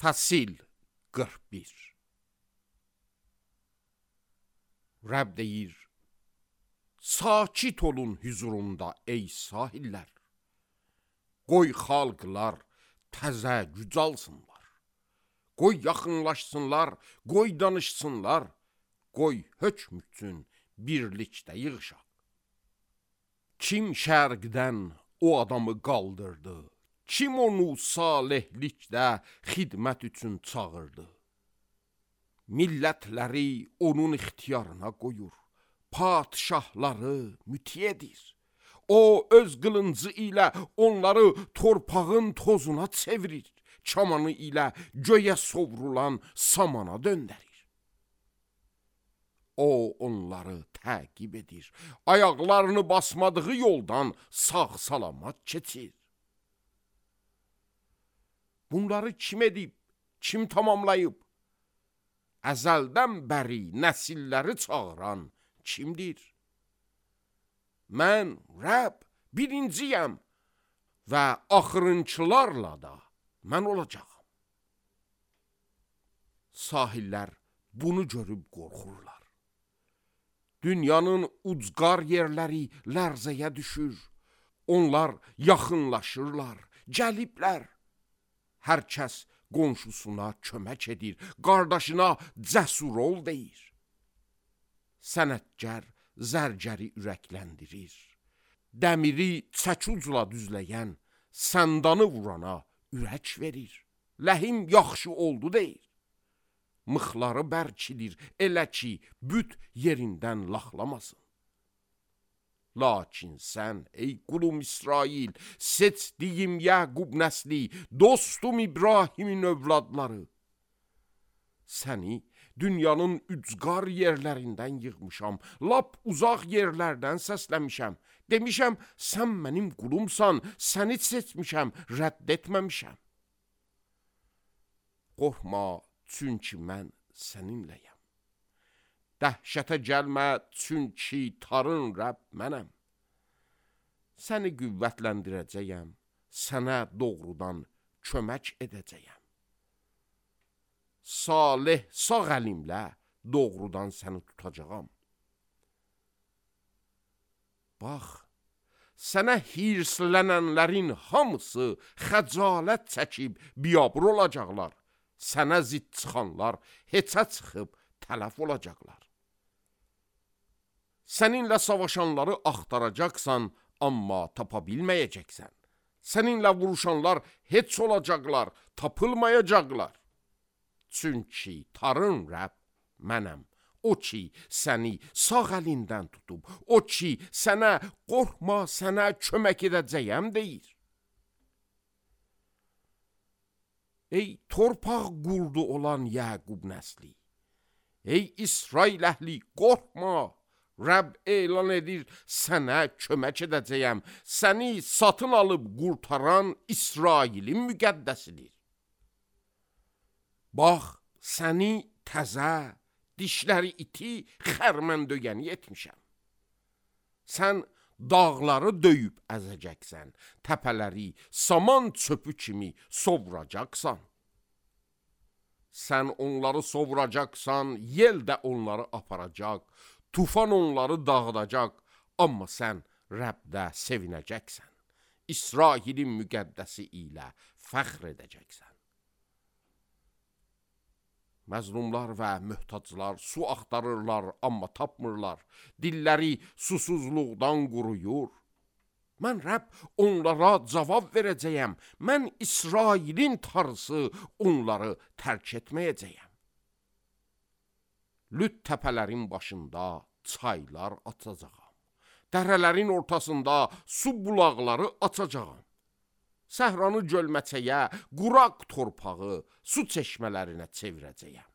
Fəsil 41. Rəbb deyir, sakit olun hüzurumda ey sahillər. Qoy xalqlar təzə güc alsınlar. Qoy yaxınlaşsınlar, qoy danışsınlar. Qoy hökm üçün birlikdə yığışaq. Kim şərqdən o adamı qaldırdı? Kim onu salihlikdə xidmət üçün çağırdı? Millətləri onun ixtiyarına qoyur, padişahları mütiyedir. O öz qılıncı ilə onları torpağın tozuna çevirir, çamanı ilə göyə sovrulan samana döndərir. O onları təqib edir, ayaqlarını basmadığı yoldan sağ-salamat keçir. Bunları kim edib, kim tamamlayıb? Əzəldən bəri nəsilləri çağıran kimdir? Mən Rəbb birinciyəm və axırıncılarla da mən olacağım. Sahillər bunu görüb qorxurlar. Dünyanın ucqar yerləri lərzəyə düşür. Onlar yaxınlaşırlar, gəliblər. Hər kəs qonşusuna kömək edir, qardaşına cəsur ol deyir. Sənətkar zərgəri ürəkləndirir. Dəmiri çəkucla düzləyən səndanı vurana ürək verir. Ləhim yaxşı oldu deyir. Mıxları bərkidir, elə ki, büt yerindən laxlamasın. Lakin sən, ey qulum İsrail, seçdiyim Yaqub nəsli, dostum İbrahimin övladları. Səni dünyanın ücqar yerlərindən yığmışam, lap uzaq yerlərdən səsləmişəm. Demişəm, sən mənim qulumsan, səni seçmişəm, rədd etməmişəm. Qorxma, çünki mən səninləyəm. Dəhşətə gəlmə, çünki tarın Rəbb mənəm. Səni qüvvətləndirəcəyəm, sənə doğrudan kömək edəcəyəm. Salih sağ əlimlə doğrudan səni tutacağam. Bax, sənə hirslənənlərin hamısı xəcalət çəkib biabır olacaqlar. Sənə zidd çıxanlar heçə çıxıb tələf olacaqlar. Səninlə savaşanları axtaracaqsan, amma tapa bilməyəcəksən. Səninlə vuruşanlar heç olacaqlar, tapılmayacaqlar. Çünki tarın Rəbb mənəm. O ki, səni sağ əlindən tutub, o ki, sənə qorxma, sənə kömək edəcəyəm deyir. Ey torpaq qurdu olan Yaqub nəsli, ey İsrail əhli, qorxma. Rəbb elan edir, sənə kömək edəcəyəm. Səni satın alıb qurtaran İsrailin müqəddəsidir. Bax, səni təzə, dişləri iti, xərmən döyəni etmişəm. Sən dağları döyüb əzəcəksən, təpələri saman çöpü kimi sovuracaqsan. Sən onları sovuracaqsan, yel də onları aparacaq, tufan onları dağıdacaq, amma sən Rəbdə sevinəcəksən. İsrailin müqəddəsi ilə fəxr edəcəksən. Məzlumlar və möhtaclar su axtarırlar, amma tapmırlar. Dilləri susuzluqdan quruyur. Mən Rəbb onlara cavab verəcəyəm. Mən İsrailin tarısı onları tərk etməyəcəyəm. Lüt təpələrin başında çaylar açacağam. Dərələrin ortasında su bulaqları açacağam. Səhranı gölməçəyə, quraq torpağı su çeşmələrinə çevirəcəyəm.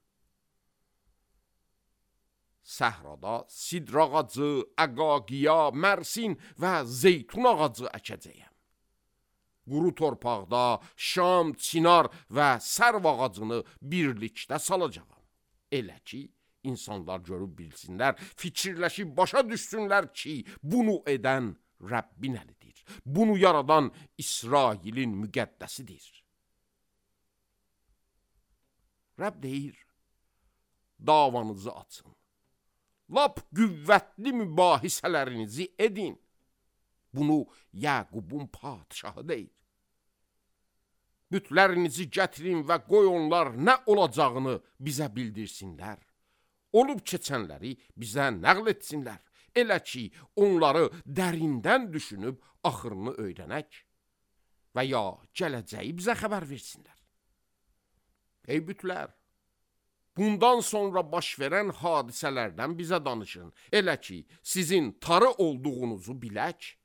Səhrada sidr ağacı, əqaqiya, mərsin və zeytun ağacı əkəcəyəm. Quru torpaqda şam, çinar və sərv ağacını birlikdə salacağam. Elə ki, insanlar görüb bilsinlər, fikirləşib başa düşsünlər ki, bunu edən Rəbbin əlidir. Bunu yaradan İsrailin müqəddəsidir. Rəbb deyir, davanızı açın. Lap qüvvətli mübahisələrinizi edin. Bunu Yaqubun padişahı deyir. Bütlərinizi gətirin və qoy onlar nə olacağını bizə bildirsinlər. Olub keçənləri bizə nəql etsinlər. Elə ki, onları dərindən düşünüb axırını öyrənək və ya gələcəyi bizə xəbər versinlər. Ey bütlər, bundan sonra baş verən hadisələrdən bizə danışın. Elə ki, sizin tarı olduğunuzu bilək.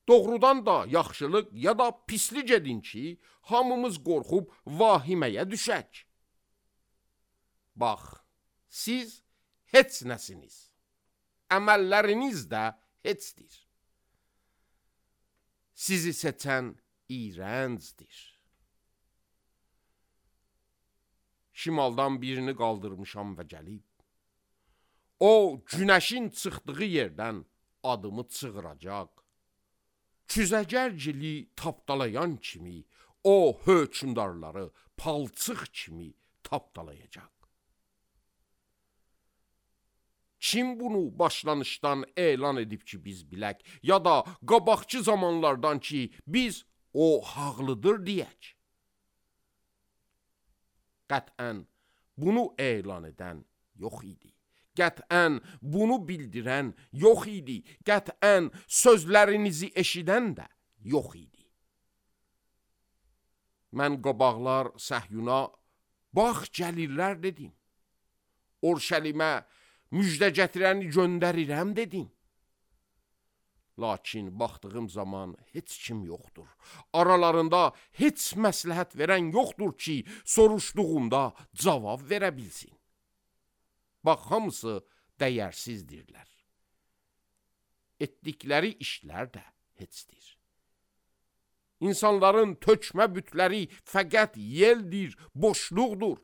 Doğrudan da yaxşılıq ya da pislik edin ki, hamımız qorxub vahiməyə düşək. Bax, siz heç nəsiniz. Əməlləriniz də heçdir. Sizi seçən iyrəncdir. Şimaldan birini qaldırmışam və gəlib. O, günəşin çıxdığı yerdən adımı çığıracaq. Küzəgərcili tapdalayan kimi, o hökümdarları palçıq kimi tapdalayacaq. Kim bunu başlanışdan elan edib ki biz bilək, ya da qabaqçı zamanlardan ki biz o haqlıdır deyək. Qətən bunu elan edən yox idi. Qətən bunu bildirən yox idi. Qətən sözlərinizi eşidən də yox idi. Mən qabaqlar Səhyuna, bax gəlirlər dedim. Orşəlimə müjdə gətirəni göndərirəm dedim. Lakin baxdığım zaman heç kim yoxdur. Aralarında heç məsləhət verən yoxdur ki, soruşduğumda cavab verə bilsin. Bax, hamısı dəyərsizdirlər. Etdikləri işlər də heçdir. İnsanların tökmə bütləri fəqət yeldir, boşluqdur.